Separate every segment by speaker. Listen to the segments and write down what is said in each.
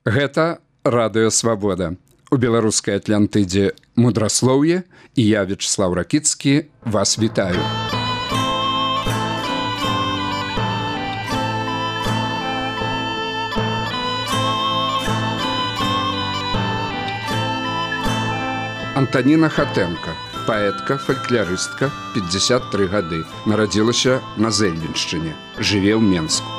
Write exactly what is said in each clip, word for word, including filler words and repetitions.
Speaker 1: Гэта радыё Свабода. У беларускай Атлантыдзе мудраслоўе, і я, Вячеслав Ракіцкі, вас вітаю. Антаніна Хатэнка, паэтка, фалькларыстка, пятьдесят три гады, нарадзілася на Зэльвеншчыне, жыве ў Менску.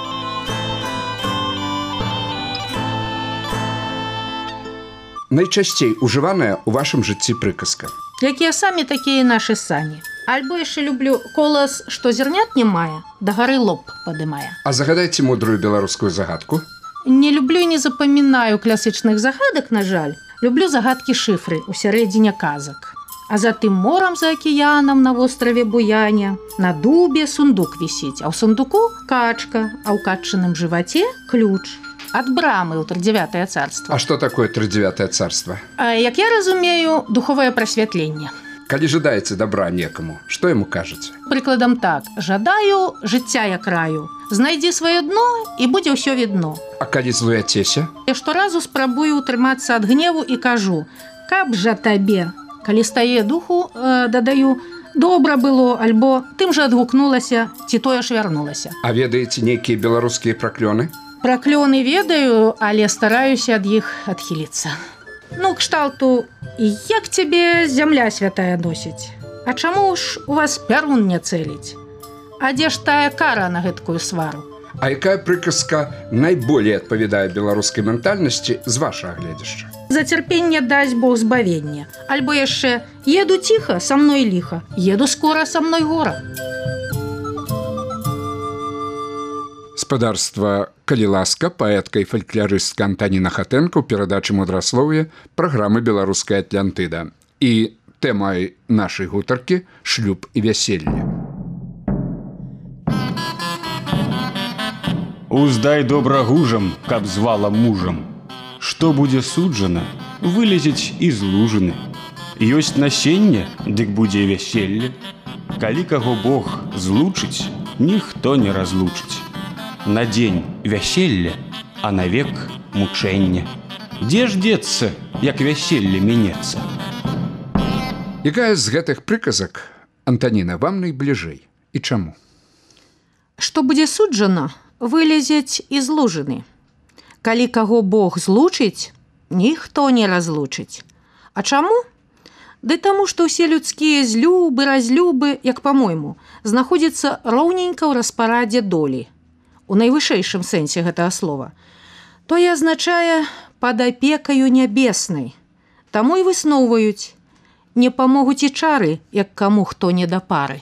Speaker 1: Найчасцей ужываная ў вашым жыцці прыказка.
Speaker 2: Якія самі, такія нашы сані. Альбо яшчэ люблю колас, што зернят не мае, да гары лоб падымае.
Speaker 1: А загадайце мудрую беларускую загадку.
Speaker 2: Не люблю і не запамінаю класічных загадак, на жаль. Люблю загадкі шыфры ў сярэдзіне казак. А за тым морам за акіянам на востраве Буяне на дубе сундук вісіць, а ў сундуку качка, а ў каччыным жываце ключ. Ад брамы ў тридевятое царство.
Speaker 1: А што такое тридевятое царство?
Speaker 2: А, як я разумею, духовае прасвятленне.
Speaker 1: Калі жадаеце добра некаму, што яму кажаце?
Speaker 2: Прыкладам так: жадаю жыцця я краю, знайдзі сваё дно і будзе ўсё відно.
Speaker 1: А калі злуяцеся?
Speaker 2: Я шторазу спрабую утрымацца ад гневу і кажу: каб жа табе. Калі стае духу, э, дадаю: добра было, альбо тым жа адгукнулася, ці тое ж вярнулася.
Speaker 1: А ведаеце нейкія беларускія праклёны?
Speaker 2: Праклёны ведаю, але стараюся ад іх адхіліцца. Ну, кшталту: як цябе зямля святая носіць? А чаму ж у вас пярун не цэліць? А дзе ж тая кара на гэткую свару?
Speaker 1: А якая прыказка найболей адпавядае беларускай ментальнасці з вашага гледзяшча?
Speaker 2: За цярпенне дасць Бог збавення. Альбо яшчэ: еду ціха, са мной ліха, еду скора, са мной гора.
Speaker 1: Спадарства, калі ласка, паэтка і фалькларыстка Антаніна Хатэнка ў перадачы мудраслоўе праграмы «Беларуская Атлантыда». І тэмай нашай гутаркі – шлюб і вяселле.
Speaker 3: Уздай добра гужам, каб звала мужам. Што будзе суджана, вылезець і з лужыны. Ёсць насенне, дык будзе вяселле. Калі каго Бог злучыць, ніхто не разлучыць. На дзень вяселле, а навек мучэнне. Дзе ж дзецца, як вяселле мінецца?
Speaker 1: Якая з гэтых прыказак, Антаніна, вам найбліжэй і чаму?
Speaker 2: Што будзе суджана, вылезець і з лужыны. Калі каго Бог злучыць, ніхто не разлучыць. А чаму? Ды таму, што ўсе людскія злюбы, разлюбы, як па-мойму, знаходзяцца роўненька ў распарадзе долі. У найвышэйшым сэнсе гэтага слова. Тое азначае пад апекаю нябеснай. Таму і высноўваюць: не памогуць і чары, як каму хто не да пары.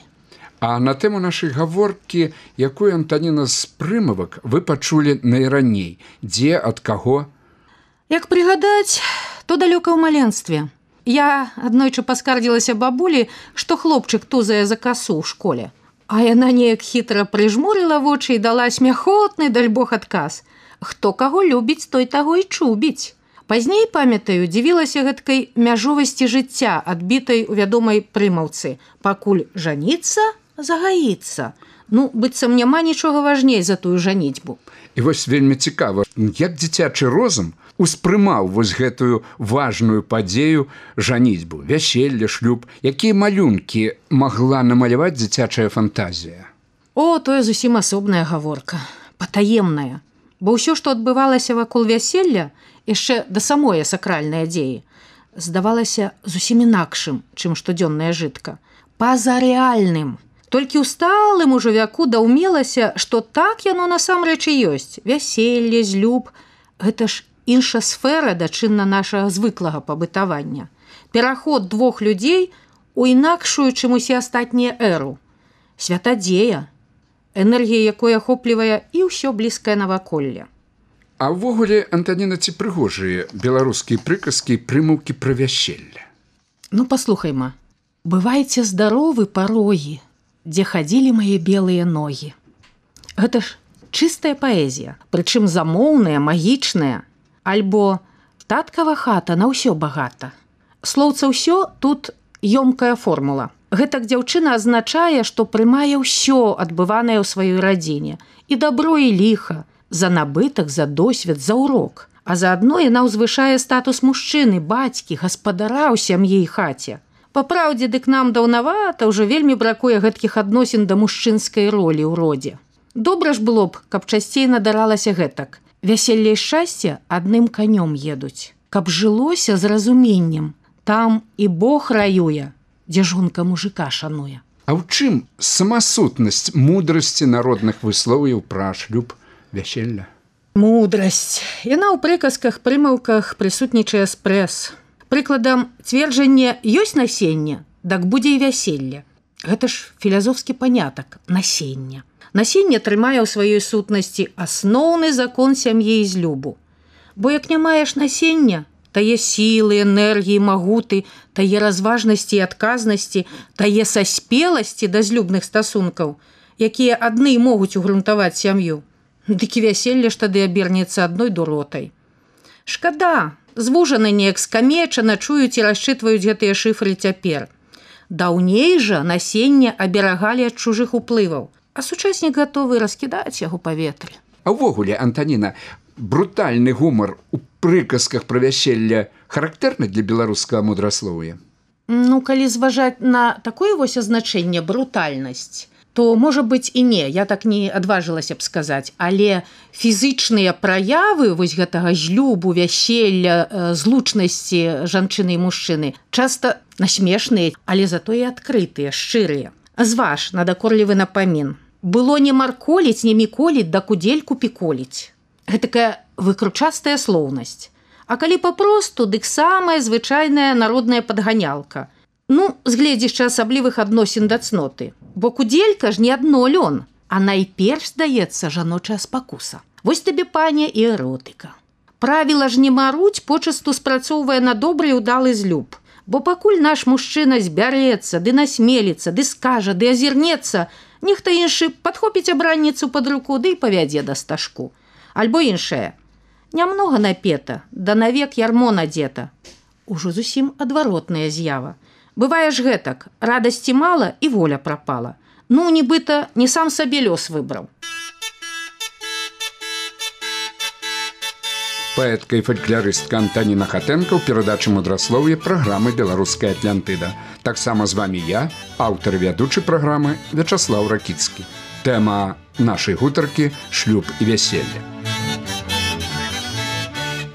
Speaker 1: А на тэму нашай гаворкі, якую, Антаніна, з прымавак вы пачулі найраней? Дзе, ад каго?
Speaker 2: Як прыгадаць, то далёка ў маленстве. Я аднойчы паскардзілася бабулі, што хлопчык тузае за касу ў школе. А яна неяк хітра прыжмурыла вочы і дала смяхотны, даль Бог, адказ: хто каго любіць, той таго і чубіць. Пазней, памятаю, дзівілася гэткай мяжовасці жыцця, адбітай у вядомай прымаўцы: пакуль жаніцца, загаіцца. Ну, быццам няма нічога важней за тую жаніцьбу.
Speaker 1: І вось вельмі цікава, як дзіцячы розум успрымаў вось гэтую важную падзею жаніцьбу, вяселле, шлюб, якія малюнкі магла намаляваць дзіцячая фантазія?
Speaker 2: О, тое зусім асобная гаворка, патаемная. Бо ўсё, што адбывалася вакол вяселля, яшчэ да самой сакральнай дзеі, здавалася зусім інакшым, чым штодзённая жытка, пазарэальным. Толькі ў сталым ужо вяку даўмелася, што так яно насамрэч і ёсць. Вяселле, злюб – гэта ж інша сфера дачынна нашага звыклага пабытавання. Пераход двух людзей у інакшую, чым усе астатнія эру. Святадзея, энергія якой ахоплівае і ўсё блізкае наваколле.
Speaker 1: А ўвогуле, Антаніна, ці прыгожыя беларускія прыказкі і прымаўкі пра вяселле?
Speaker 2: Ну, паслухайма. Бывайце здаровы, парогі, дзе хадзілі мае белыя ногі. Гэта ж чыстая паэзія, прычым замоўная, магічная. Альбо таткава хата на ўсё багата. Слоўца ўсё тут ёмкая формула. Гэтак дзяўчына азначае, што прымае ўсё адбыванае ў сваёй радзіне. І дабро, і ліха, за набытак, за досвед, за урок. а заадно яна ўзвышае статус мужчыны, бацькі, гаспадара ў сям'і і хаце. Па праўдзе, дык нам даўнавата ўжо вельмі бракуе гэткіх адносін да мужчынскай ролі ў родзе. Добра ж было б, каб часцей надаралася гэтак. Вяселле і шчасце адным канём едуць. Каб жылося з разуменнем. Там і Бог раюе, дзе жонка мужика шануе.
Speaker 1: А ў чым самасутнасць мудрасці народных выслоўяў пра шлюб, вяселля?
Speaker 2: Мудрасць. Яна ў прыказках, прымаўках прысутнічае спрэс. Прыкладам, цверджанне ёсць насенне, дак будзе і вяселле. Гэта ж філазофскі панятак – насенне. Насенне трымае ў сваёй сутнасці асноўны закон сям'і і злюбу. Бо як не маеш насення, тае сілы, энергіі, магуты, тае разважнасці і адказнасці, тае саспеласці да злюбных стасункаў, якія адны могуць угрунтаваць сям'ю, дык і вяселле ж тады абернецца адной дуротай. Шкада, звужаны неяк скамечана чуюць і расчытваюць гэтыя шыфры цяпер. Даўней жа насенне аберагалі ад чужых уплываў, а сучаснік гатовы раскідаць яго паветры.
Speaker 1: А ўвогуле, Антаніна, брутальны гумар у прыказках пра вяселле характэрны для беларускага мудраслоўя?
Speaker 2: Ну, калі зважаць на такое вось азначэнне брутальнасць, то, можа быць, і не, я так не адважылася б сказаць, але фізычныя праявы вось гэтага злюбу, вяселля, злучнасці жанчыны і мужчыны часта насмешныя, але затое адкрытыя, шчырыя. Зваж, надакорлівы напамін. Было не марколіць, не міколіць, да кудельку піколіць. Гэтакая выкручастая слоўнасць. А калі папросту, дык самая звычайная народная падганялка. Ну, з гледзяча асаблівых адносін да цноты. Бо куделька ж не адно лён, а найперш, здаецца, жаночая спакуса. Вось табе, паня, і эротыка. Правіла ж не маруць, почасту спрацоўвае на добры і ўдалы злюб. Бо пакуль наш мужчына збярэцца, ды насмеліцца, ды скажа, ды азірнецца, нехта іншы падхопіць абранніцу пад руку, ды і павядзе да стажку. Альбо іншае. Нямнога напета, да навек ярмо надзета. Ужо зусім адваротная з'ява. Бывае ж гэтак, радасці мала і воля прапала. Ну, нібыта, не сам сабе лёс выбраў.
Speaker 1: Паэтка і фальклорыстка Антаніна Хатэнка ў перадачы мудраслоўя праграмы «Беларуская Атлантыда». Таксама з вамі я, аўтар і вядучы праграмы Вячаслаў Ракіцкі. Тэма нашай гутаркі «Шлюб і вяселле».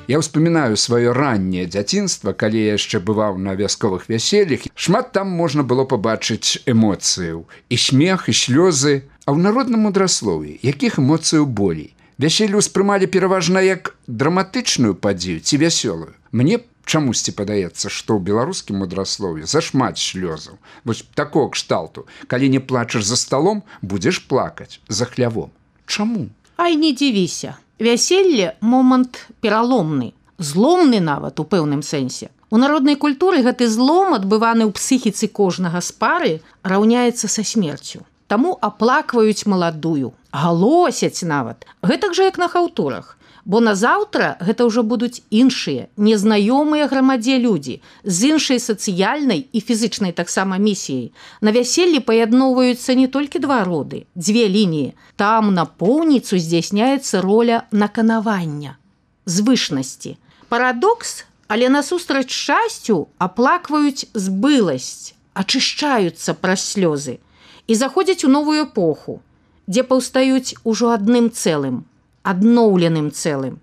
Speaker 1: Я ўспамінаю сваё ранняе дзяцінства, калі я яшчэ бываў на вясковых вяселлях. Шмат там можна было пабачыць эмоцыяў. І смех, і слёзы. А ў народным мудраслоўі якіх эмоцыяў болей? Вяселле ўспрымалі пераважна як драматычную падзею ці вясёлую. Мне чамусьці падаецца, што ў беларускім мудраслоўі зашмат слёзаў. Вось такого кшталту. Калі не плачаш за сталом, будзеш плакаць за хлявом. Чаму?
Speaker 2: Ай, не дзівіся. Вяселле – момант пераломны, зломны нават у пэўным сэнсе. У народнай культуры гэты злом, адбываны ў псіхіцы кожнага з пары, раўняецца са смерцю. Таму аплакваюць маладую, галосяць нават. Гэтак жа, як на хаўтурах. Бо назаўтра гэта ўжо будуць іншыя, незнаёмыя грамадзе людзі, з іншай сацыяльнай і фізычнай таксама місіяй. На вяселлі паядноўваюцца не толькі два роды, дзве лініі. Там на поўніцу здзяйсняецца роля наканавання, звышнасці. Парадокс, але насустрач шчасцю аплакваюць збыласць, ачышчаюцца праз слёзы і заходзяць у новую эпоху, дзе паўстаюць ужо адным цэлым, адноўленым цэлым.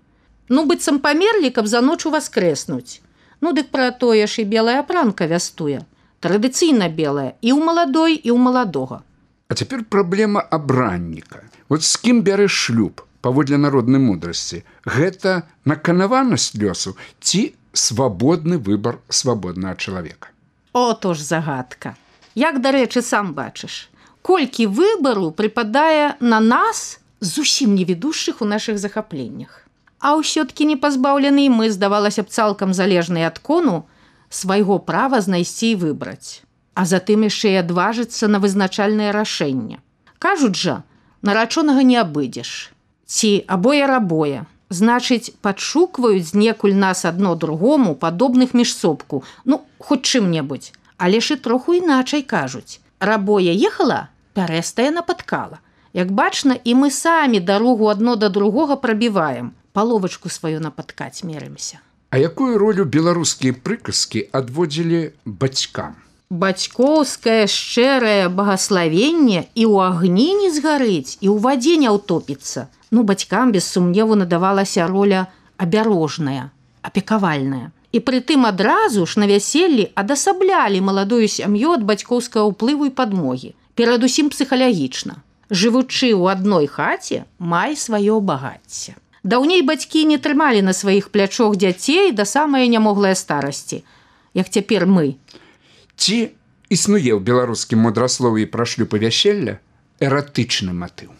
Speaker 2: Ну, быццам памерлі, каб за ноч уваскрэснуць. Ну, дык пра тое ж і белая апранка вястуе. Традыцыйна белая і ў маладой, і ў маладога.
Speaker 1: А цяпер праблема абранніка. Вот з кім бярэш шлюб, паводле народнай мудрасці? Гэта наканаванасць лёсу ці свабодны выбар свабоднага чалавека?
Speaker 2: Ото ж загадка. Як, дарэчы, сам бачыш, колькі выбару прыпадае на нас, зусім не ведушых у нашых захапленнях. А ўсё-ткі не пазбаўлены мы, здавалася б, цалкам залежныя ад кону, свайго права знайсці і выбраць. А затым яшчэ і адважыцца на вызначальнае рашэнне. Кажуць жа, нарачонага не абыдзеш. Ці абое-рабое. Значыць, падшукваюць знекуль нас адно другому, падобных міжсобку, ну, хоць чым-небудзь. Але ж і троху іначай кажуць. Рабое ехала, пярэстая напаткала. Як бачна, і мы самі дарогу адно да другога прабіваем. паловачку сваю напаткаць мерымся.
Speaker 1: А якую ролю беларускія прыказкі адводзілі бацькам?
Speaker 2: Бацькоўскае шчырае багаславенне і ў агні не згарыць, і ў вадзе не ўтопіцца. Ну, бацькам без сумневу надавалася роля абярожная, апекавальная. І прытым адразу ж на вяселлі адасаблялі маладую сям'ю ад бацькоўскага ўплыву і падмогі. Перадусім псіхалагічна. Жывучы ў адной хаце, май сваё багацце. Даўней бацькі не трымалі на сваіх плячох дзяцей да самай нямоглай старасці, як цяпер мы.
Speaker 1: Ці існуе ў беларускім мудраслові пра шлюб і вяселля эратычны матыў?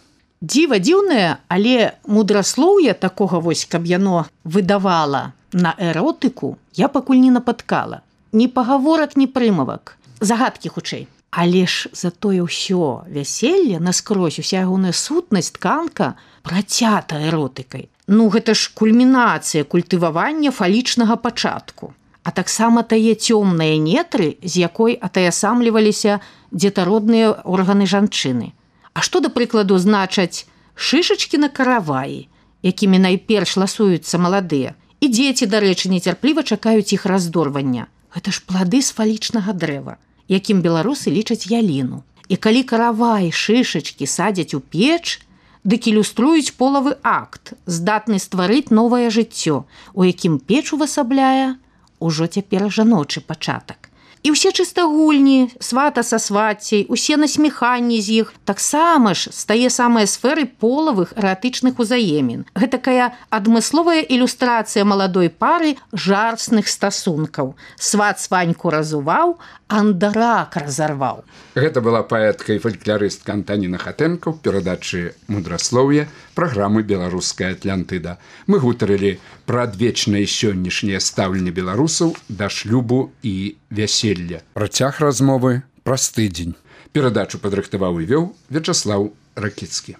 Speaker 2: Дзіва дзіўнае, але мудраслоўе такога вось, каб яно выдавала на эротыку, я пакуль не напаткала. Ні пагаворак, ні прымавак. Загадкі хутчэй. Але ж затое ўсё вяселле наскрозь, уся ягоная сутнасць, тканка працята эротыкай. Ну, гэта ж кульмінацыя культывавання фалічнага пачатку. А таксама тае цёмныя нетры, з якой атаясамліваліся дзетародныя органы жанчыны. А што, да прыкладу, значаць шышачкі на караваі, якімі найперш ласуюцца маладыя, і дзеці, дарэчы, нецярпліва чакаюць іх раздорвання. Гэта ж плады з фалічнага дрэва, якім беларусы лічаць яліну. І калі каравай, шышачкі садзяць у печ, дык ілюструюць полавы акт, здатны стварыць новае жыццё, у якім печ увасабляе ужо цяпер жаночы пачатак. І ўсе чыстагульні, свата са сваццяй, усе насміханні з іх, таксама ж з тае самыя сферы полавых эратычных узаемін. Гэтакая адмысловая ілюстрацыя маладой пары жарсных стасункаў. Сват сваньку разуваў, андарак разарваў.
Speaker 1: Гэта была паэтка і фалькларыстка Антаніна Хатэнка ў перадачы «Мудраслоўе» праграмы «Беларуская Атлантыда». Мы гутарылі пра адвечнае сённяшняе стаўленне беларусаў да шлюбу і вяселля. Працяг размовы праз тыдзень. Перадачу падрыхтаваў і вёў Вячаслаў Ракіцкі.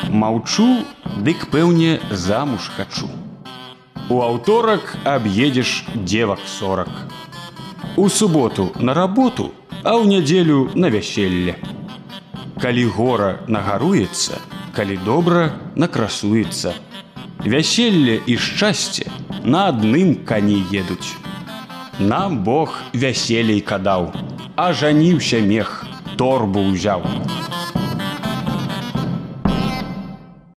Speaker 3: Маўчу, дык пэўне замуж хачу. У аўторак аб'едзеш дзевак сорак. У суботу на работу, а ў нядзелю на вяселле. Калі гора нагаруецца, калі добра накрасуецца. Вяселле і шчасце на адным кані едуць. Нам Бог вяселей кадаў, а жаніўся мех, торбу ўзяў.